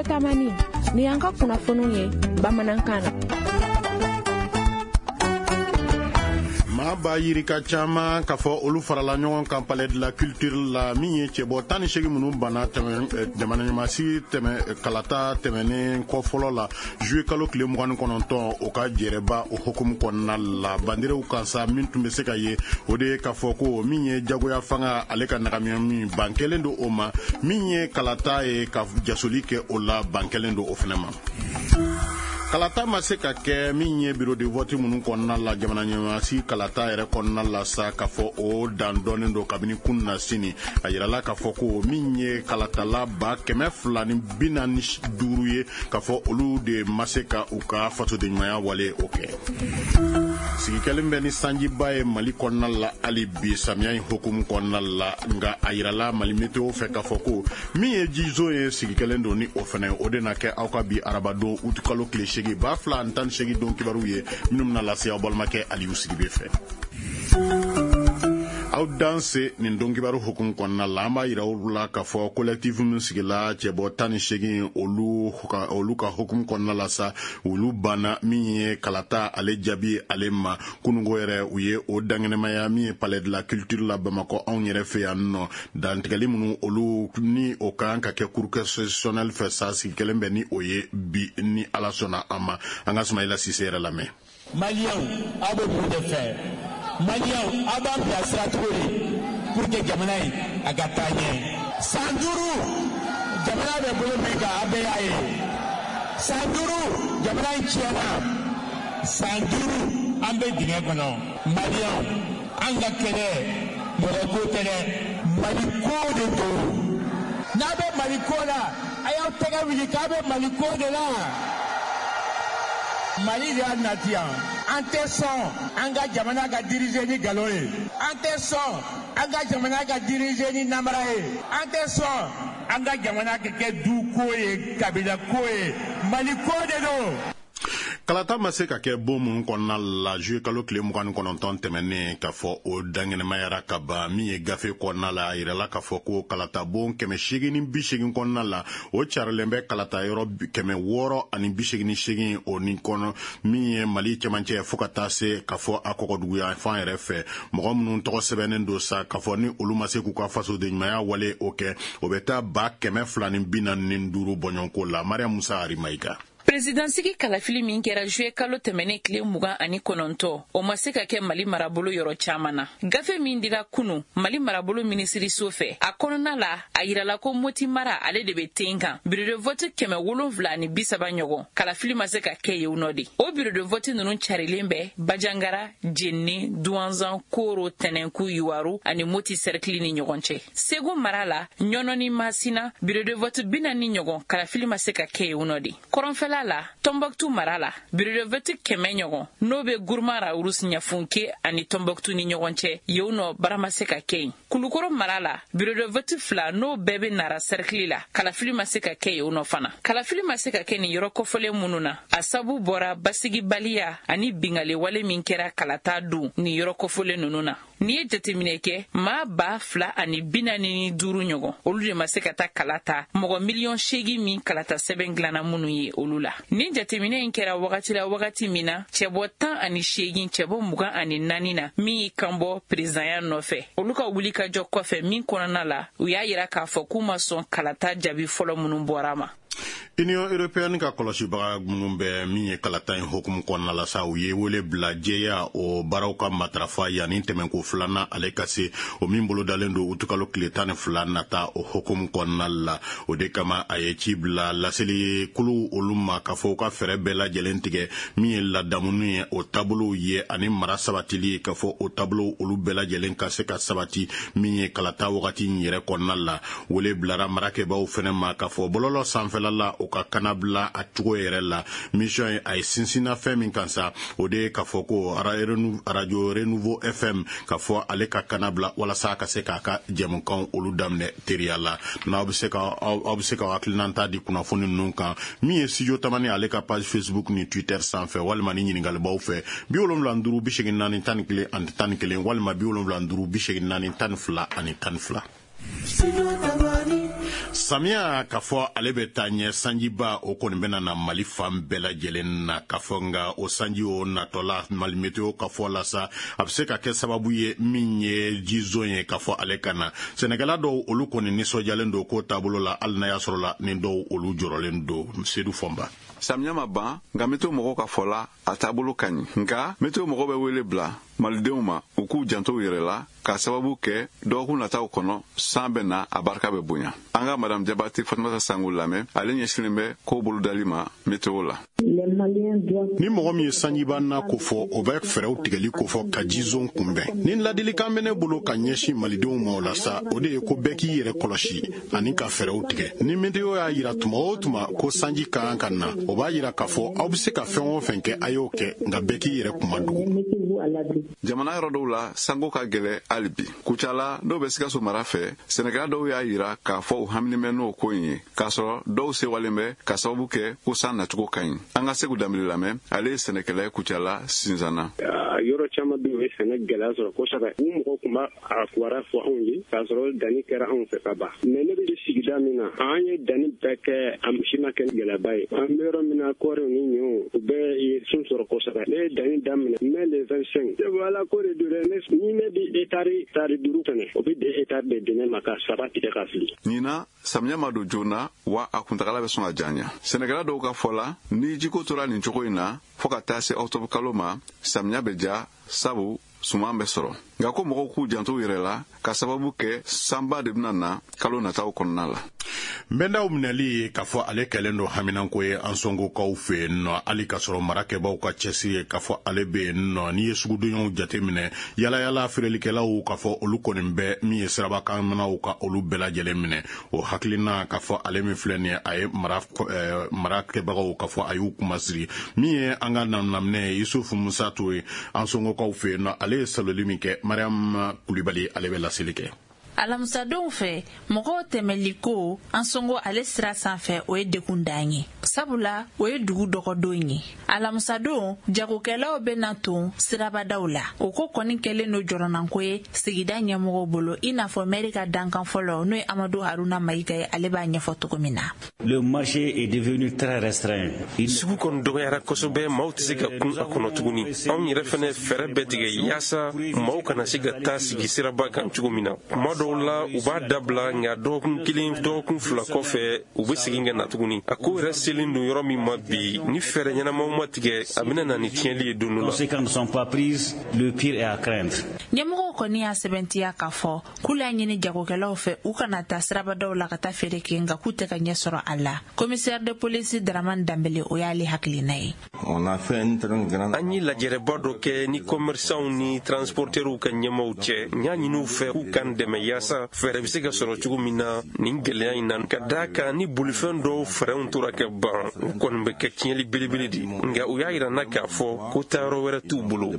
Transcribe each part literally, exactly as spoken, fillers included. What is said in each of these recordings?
Studio Tamani, ni y'an ka kunnafoniw ye bamanankan na. Maa ba yirika caman k'a fɔ olu farala ɲɔgɔn kan Palais de la Culture la, min ye cɛbɔ tan ni seegin minnu banna jamana ɲɛmaasigi tɛmɛ kalata tɛmɛnen kɔ fɔlɔ la juillet kalo tile mugan ni kɔnɔntɔn, o ka jɛrɛba o hukumu kɔnɔna la. Bandirew kan sa, min tun bɛ se ka ye, o de ye k'a fɔ ko min ye jagoya fanga ale ka nagamiya min ban kɛlen don o ma, min ye kalata ye ka jasoli kɛ o la, ban kɛlen don o fana ma. Kalata ma se ka kɛ min ye bureau de vote minnu kɔnɔna la jamana ɲɛmaasi kalata yɛrɛ kɔnɔna la sa, k'a fɔ o dan dɔnnen don kabini kunun na sini. A yirala k'a fɔ ko min ye kalatala ba kɛmɛ fila ni bi naani duuru ye, k'a fɔ olu de ma se ka u ka fasodenɲumanya wale o kɛ. Sigi kɛlen bɛ ni sanjiba ye Mali kɔnɔna la hali bi samiya in hukumu kɔnɔna la, nka a yirala Mali météo fɛ k'a fɔ ko min ye jizo ye sigi kɛlen don ni o fɛnɛ, o de na kɛ aw ka bi arabadon uti kalo tile seegin ba fila ani tan ni seegin don kibaruw ye minnu bɛna lase aw balimakɛ Aliyu Sidibe fɛ. Aw danse nin don kibaru hukumu kɔnɔna la, an b'a yira aw la k'a fɔ collectif min sigila cɛbɔ tan ni seegin olu ka olu ka hukumu kɔnɔna la sa, olu banna min ye kalata ale jaabi ale ma. Kununko yɛrɛ u ye o dankɛnɛmaya min ye Palais de la Culture la Bamakɔ anw yɛrɛ fɛ yan nɔ. Dantigɛli minnu olu ni o kan ka kɛ cour constitutionnelle fɛ sa, sigi kɛlen bɛ ni o ye bi ni Ala sɔnna an ma. An ka Sumayila Sise yɛrɛ lamɛn. Maliyɛnw, aw bɛ mun de fɛ? Maliyɛnw, aw b'an bilasira cogo di pour que jamana in a ka taa ɲɛ? San duuru jamana bɛ bolo min kan, aw bɛɛ y'a ye. San duuru jamana in tiɲɛna. San duuru an bɛ dingɛ kɔnɔ. Maliyɛnw, an ka kɛlɛ mɔgɔ ko tɛ dɛ, Mali ko de don. N'a bɛ Mali ko la, a y'aw tɛgɛ wuli k'a bɛ Mali ko de la. Mali de y'a nati yan. An tɛ sɔn an ka jamana ka diriger ni nkalon ye. An tɛ sɔn an ka jamana ka diriger ni namara ye. An tɛ sɔn an ka jamana ka kɛ du ko ye, kabila ko ye. Mali ko de don. Kalata ma se ka kɛ bon minnu kɔnɔna la juillet kalo tile mugan ni kɔnɔntɔn tɛmɛnen, k'a fɔ o dankɛnɛmayara ka ban. Min ye gafe kɔnɔna la, a yirala k'a fɔ ko kalata bon kɛmɛ seegin ni bi seegin kɔnɔna la, o carilen bɛ kalata yɔrɔ kɛmɛ wɔɔrɔ ani bi seegin ni seegin o ni kɔnɔ, min ye Mali cɛmancɛ fo ka taa se k'a fɔ a kɔgɔduguya fan yɛrɛ fɛ. Mɔgɔ minnu tɔgɔ sɛbɛnnen don sa, k'a fɔ ni olu ma se k'u ka fasodenɲumanya wale o kɛ, o bɛ taa ba kɛmɛ fila ni bi naani ni duuru bɔɲɔgɔnko la. Mariam Musa Arimayiga. Présidansigi kalafili min kɛra juillet kalo tɛmɛnen tile mugan ani kɔnɔntɔn, o ma se ka kɛ Mali marabolo yɔrɔ caman na. Gafe min dira kunu Mali marabolo minisiriso fɛ, a kɔnɔna la a yirala ko Moti mara ale de bɛ ten kan. Bureau de vote kɛmɛ wolonfila ani bi saba ɲɔgɔn, kalafili ma se ka kɛ yen nɔ de. O bureau de vote ninnu carilen bɛ Bajangara, Jenne, Duwanzan, Koro, Tɛnɛnku, Yuwaru ani Moti cercle ni ɲɔgɔn cɛ. Segu mara la, Ɲɔnɔ ni Masina, bureau de vote bi naani ɲɔgɔn, kalafili ma se ka kɛ yen nɔ de. Kɔrɔnfɛla la, Tombouctou mara la, bureau de vote kɛmɛ ɲɔgɔn n'o bɛ Gourma Rharous, Ɲafunke ani Tombouctou ni ɲɔgɔn cɛ, yen nɔ baara ma se ka kɛ yen. Kulukoro mara la, bureau de vote fila n'o bɛɛ bɛ Nara cercle la, kalafili ma se ka kɛ yen nɔ fana. Kalafili ma se ka kɛ nin yɔrɔ kɔfɔlen minnu na, a sabu bɔra basigibaliya ani bingaliwale min kɛra kalata don nin yɔrɔ kɔfɔlen ninnu na. N'i ye jateminɛ kɛ, maa ba fila ani bi naani ni duuru ɲɔgɔn, olu de ma se ka taa kala ta, mɔgɔ miliyɔn seegin min kalata sɛbɛn dilanna minnu ye olu la. Nin jateminɛ in kɛra wagati la wagati min na cɛbɔ tan ani seegin, cɛbɔ mugan ani naani na min y'i kanbɔ perezidanya nɔfɛ, olu ka wuli ka jɔ kɔfɛ min kɔnɔna la u y'a yira k'a fɔ k'u ma sɔn kalata jaabi fɔlɔ minnu bɔra ma. Union européenne ka kɔlɔsibaga minnu bɛ min ye kalata in hukumu kɔnɔna la sa, u ye wele bila jɛya o baaraw ka matarafa yanni tɛmɛnko filanan ale ka se, o min bolodalen don utukalo tile tan ni fila nata o hukumu kɔnɔna la. O de kama a ye ci bila laseli kulu olu ma k'a fɔ u ka fɛɛrɛ bɛɛ lajɛlen tigɛ min ye ladamuni ye, o taabolow ye ani mara sabatili, k'a fɔ o taabolow olu bɛɛ lajɛlen ka se ka sabati min ye kalata wagati in yɛrɛ kɔnɔna la. Wele bilara marakɛbaw fɛnɛ ma k'a fɔ bɔlɔlɔ sanfɛla la o ka kana bila a cogo yɛrɛ la. Mission ye a ye sinsinna fɛn min kan sa, o de ye k'a fɔ ko radio Renouveau F M k'a fɔ ale ka kana bila walasa a ka se k'a ka jɛmukanw olu daminɛ teriya la. N'aw bɛ se ka aw bɛ se ka hakilinata di kunnafoni ninnu kan min ye Studio Tamani ale ka page Facebook ni Twitter sanfɛ, walima ni ɲininkalibaw fɛ bi wolonwula ni duuru bi seegin naani tan ni kelen ani tan ni kelen, walima bi wolonwula ni duuru bi seegin naani tan ni fila ani tan ni fila. Samiya k'a fɔ ale bɛ taa ɲɛ, sanjiba o kɔni bɛna na Mali fan bɛɛ lajɛlen na, k'a fɔ nka o sanji o natɔla Mali Meteo ka fɔ la sa, a bɛ se ka kɛ sababu ye min ye jizon ye k'a fɔ ale ka na. Sɛnɛkɛla dɔw olu kɔni nisɔndiyalen don ko taabolo la, hali n'a y'a sɔrɔ la ni dɔw olu jɔrɔlen don. Sedu Fɔnba. Samiya ma ban, nka meteo mɔgɔw ka fɔ la, a taabolo ka ɲi. Nka meteo mɔgɔw bɛ wele bila malidenw ma u k'u janto u yɛrɛ la, k'a sababu kɛ dɔgɔkun nataw kɔnɔ san bɛ na, a barika bɛ bonya. An ka Madame Jabate Fatumata Sango lamɛn, ale ɲɛsinnen bɛ ko bolodali ma meteo la. Ni mɔgɔ min ye sanjiba na ko fɔ, o bɛ fɛɛrɛw tigɛli kofɔ ka jizon kunbɛn. Ni ladilikan bɛ ne bolo ka ɲɛsin malidenw ma o la sa, o de ye ko bɛɛ k'i yɛrɛ kɔlɔsi ani ka fɛɛrɛw tigɛ. Ni meteo y'a yira tuma o tuma ko sanji ka kan ka na, o b'a yira k'a fɔ aw bɛ se ka fɛn o fɛn kɛ, a y'o kɛ, nka bɛɛ k'i yɛrɛ kuma dugu. Jamana yɔrɔ dɔw la, sanko ka gɛlɛ hali bi. Kucala dɔw bɛ Sikaso mara fɛ, sɛnɛkɛla dɔw y'a yira k'a fɔ u haminen bɛ n'o ko in ye, k'a sɔrɔ dɔw sewalen bɛ ka sababu kɛ ko san nacogo ka ɲi. An ka Segu Danbele lamɛn, ale ye sɛnɛkɛla ye Kucala Sinzana. Yɔrɔ caman bɛ yen, u ye sɛnɛ gɛlɛya sɔrɔ kosɛbɛ. U mɔgɔw tun b'a a kibaruya fɔ anw ye k'a sɔrɔ danni kɛra anw fɛ ka ban. Mais ne bɛ sigida min na, an ye danni bɛɛ kɛ, a si ma kɛ gɛlɛyaba ye. An bɛ yɔrɔ min na, kɔɔriw ni ɲɔw, u bɛɛ ye sun sɔrɔ kosɛbɛ. Ne ye danni daminɛ mai le vingt-cinq. Ala ko de don dɛ, ni ne bɛ hectare tari duuru fɛnɛ, o bɛ deux hectares de di ne ma ka saba tigɛ ka fili. Ɲinan samiya ma don joona, wa a kuntagala bɛ sɔn ka janya. Sɛnɛkɛla dɔw ka fɔ la, ni jiko tora nin cogo in na fo ka taa se octobre kalo ma, samiya bɛ ja, sabu suman bɛ sɔrɔ. Nka ko mɔgɔw k'u janto u yɛrɛ la, ka sababu kɛ sanba de bɛna na kalo nataw kɔnɔna la. Nbɛndaw minɛli k'a fɔ ale kɛlen don haminanko ye an sɔngokaw fɛ yen nɔ, hali k'a sɔrɔ marakɛbaw ka cɛsiri ye k'a fɔ ale bɛ yen nɔ. N'i ye sugudonyaw jateminɛ, yalayala feerelikɛlaw k'a fɔ olu kɔni bɛ min ye sirabakanmanaw ka olu bɛɛ lajɛlen minɛ. O hakilina k'a fɔ ale min filɛ nin ye, a ye mara marakɛbagaw k'a fɔ a y'u kumasiri. Min ye an ka naminaminɛ ye Yusufu Musa Ture an sɔngokaw fɛ yen nɔ, ale ye saloli min kɛ, Mariam Kulibali ale bɛ laseli kɛ. Alamisadenw fɛ, mɔgɔw tɛmɛliko an sɔngo ale sira sanfɛ, o ye dekun dan ye, sabula o ye dugu dɔgɔdon ye. Alamisadon, jagokɛlaw bɛ na ton sirabadaw la. O ko kɔni kɛlen don jɔrɔnanko ye sigida ɲɛmɔgɔw bolo, i n'a fɔ mɛri ka dankan fɔlɔ n'o ye Amadu Haruna Mayiga ye, ale b'a ɲɛfɔ cogo min na. Le marché est devenu très restreint. Sugu kɔni dɔgɔyara kosɛbɛ, maaw tɛ se ka kun a kɔnɔ tuguni. Anw yɛrɛ fɛnɛ fɛɛrɛ bɛɛ tigɛ yaasa maaw kana se ka taa sigi siraba kan cogo min na. Kuma dɔw la u b'a dabila, nka dɔgɔkun kelen dɔgɔkun fila kɔfɛ u bɛ segin ka na tuguni. A ko yɛrɛ selen don yɔrɔ min ma bi, ni fɛɛrɛ ɲɛnamaw ma tigɛ, a bɛna na ni tiɲɛli ye don dɔ la. Conséquences ne sont pas prises, le pire est à craindre. Ɲɛmɔgɔw kɔni y'a sɛbɛntiya k'a fɔ k'u y'a ɲini jagokɛlaw fɛ u kana taa sirabadaw la ka taa feere kɛ, nka k'u tɛ ka ɲɛ sɔrɔ a la. Commissaire de police Dramane Danbele, o y'ale hakilina ye. An ye lajɛrɛba dɔ kɛ ni commerçants ni transporteurs ka ɲɛmaaw cɛ. N y'a ɲini u fɛ k'u k'an dɛmɛ yaasa fɛɛrɛ bɛ se ka sɔrɔ cogo min na nin gɛlɛya in na, ka d'a kan ni bolifɛn dɔw fɛrɛnw tora ka ban, u kɔni bɛ kɛ tiɲɛli belebele de. Nka u y'a yira n na k'a fɔ ko taayɔrɔ wɛrɛ t'u bolo.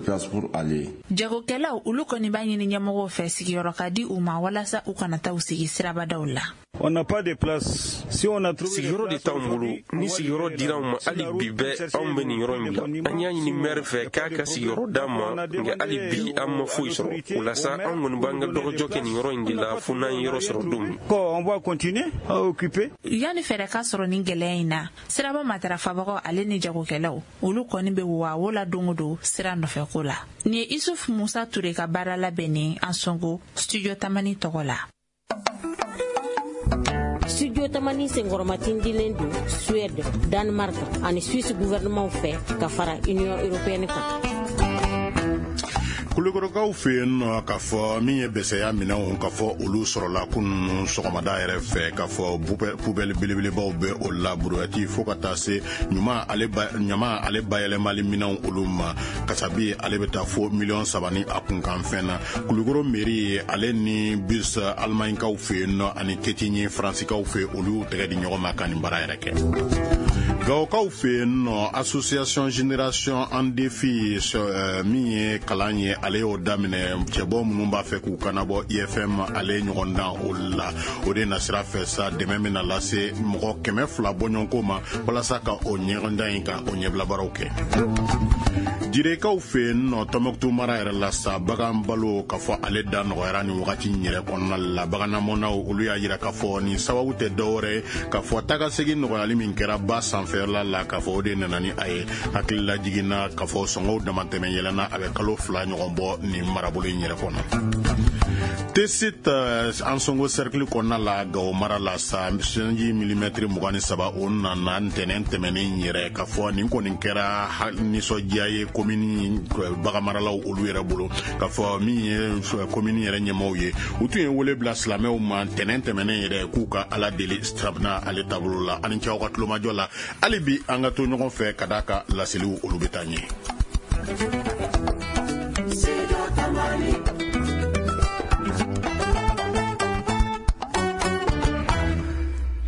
Jagokɛlaw olu kɔni b'a ɲini ɲɛmɔgɔw fɛ sigiyɔrɔ ka di u ma walasa u kana taa u sigi sirabadaw la. On n'a pas de place. Si on a trouvé sigiyɔrɔ de t'anw bolo, ni sigiyɔrɔ dira anw ma hali bi bɛɛ anw bɛ nin yɔrɔ in bila. An y'a ɲini maire fɛ k'a ka sigiyɔrɔ d'an ma, nka hali bi an ma foyi sɔrɔ. O la sa, anw kɔni b'an ka dɔgɔjɔ kɛ nin yɔrɔ in de la fo n'an ye yɔrɔ sɔrɔ don min. On va continuer à occuper. Yanni fɛɛrɛ ka sɔrɔ nin gɛlɛya in na, siraba matarafabagaw ale ni jagokɛlaw olu kɔni bɛ wawo la don o don sira nɔfɛko la. Nin ye Isuf Musa Ture ka baara labɛnnen an sɔngo Studio Tamani tɔgɔ la. Studio Tamani senkɔrɔmatindilen don Suède, Danemark ani Suisse gouvernement fɛ ka fara Union européenne kan. Kulukɔrɔkaw fɛ yen nɔ k'a fɔ min ye bɛsɛya minɛnw k'a fɔ olu sɔrɔla kunun sɔgɔmada yɛrɛ fɛ, k'a fɔ poubelle belebelebaw bɛ o la, brouette fo ka taa se ɲuman ale ɲama ale bayɛlɛmali minɛnw olu ma. Kasabi ale bɛ taa fo miliyɔn saba ni a kunkanfɛn na. Kulukɔrɔ mairie ale ni bus Allemagnekaw fɛ yen nɔ ani Ketinye Faransikaw fɛ, olu y'u tɛgɛ di ɲɔgɔn ma ka nin baara yɛrɛ kɛ. Gawokaw fɛ yen nɔ, association Génération en Défi min ye kalan ye, ale y'o daminɛ. Cɛbɔ minnu b'a fɛ k'u kanabɔ I F M, ale ɲɔgɔn dan o la, o de nasira fɛ sa, dɛmɛ bɛna lase mɔgɔ kɛmɛ fila bɔɲɔgɔnko ma walasa ka o ɲɔgɔndan in ka o ɲɛbilabaaraw kɛ. Jirekaw fɛ yen nɔ, Tɔnbɔkutu mara yɛrɛ la sa, bagan balo k'a fɔ ale da nɔgɔyara nin wagati in yɛrɛ kɔnɔna la. Baganamɔnaw olu y'a yira k'a fɔ nin sababu tɛ dɔwɛrɛ ye k'a fɔ tagasegin nɔgɔyali min kɛra ba sanfɛla la, k'a fɔ o de nana ni a ye. Hakilila jiginna k'a fɔ sɔngɔw damatɛmɛ yɛlɛnna, a bɛ kalo fila ɲɔgɔn bɔ nin marabolo in yɛrɛ kɔnɔ. Tessit Ansongo cercle kɔnɔna la, Gawo mara la sa, sanji milimɛtiri mugan ni saba o nana ntɛnɛn tɛmɛnen yɛrɛ. K'a fɔ nin kɔni kɛra nisɔndiya ye komini baganmaralaw olu yɛrɛ bolo. K'a fɔ min ye komini yɛrɛ ɲɛmaaw ye, u tun ye wele bila silamɛw ma ntɛnɛn tɛmɛnen yɛrɛ k'u ka Ala deli sirabina ale taabolo la. Ani cɛw ka tulomajɔ la, hali bi an ka to ɲɔgɔn fɛ ka d'a ka laseliw olu bɛ taa ɲɛ.